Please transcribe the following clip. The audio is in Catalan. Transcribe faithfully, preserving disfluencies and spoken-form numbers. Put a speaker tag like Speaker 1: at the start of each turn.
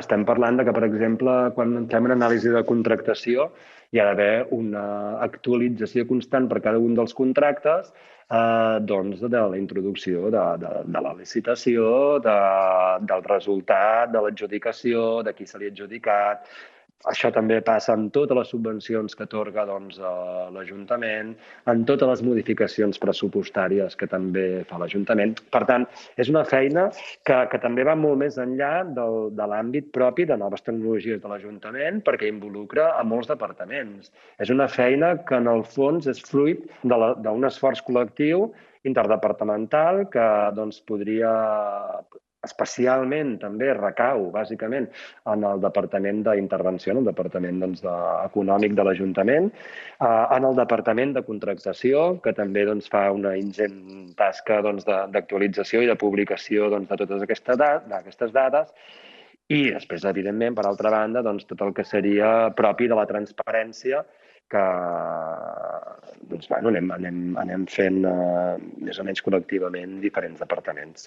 Speaker 1: estem parlant de que, per exemple, quan fem una anàlisi de contractació, hi ha d'haver una actualització constant per cada un dels contractes eh, doncs, de la introducció de, de, de la licitació, de, del resultat, de l'adjudicació, de qui se li ha adjudicat. Això també passa amb totes les subvencions que atorga doncs, l'Ajuntament, en totes les modificacions pressupostàries que també fa l'Ajuntament. Per tant, és una feina que, que també va molt més enllà del, de l'àmbit propi de noves tecnologies de l'Ajuntament, perquè involucra a molts departaments. És una feina que, en el fons, és fruit d'un esforç col·lectiu interdepartamental que doncs, podria especialment també recau, bàsicament, en el Departament d'Intervenció, en el Departament doncs, de, Econòmic de l'Ajuntament, eh, en el Departament de Contractació, que també doncs, fa una ingent tasca doncs, d'actualització i de publicació doncs, de totes aquestes, aquestes dades, i després, evidentment, per altra banda, doncs, tot el que seria propi de la transparència, que doncs, bueno, anem, anem, anem fent eh, més o menys col·lectivament diferents departaments.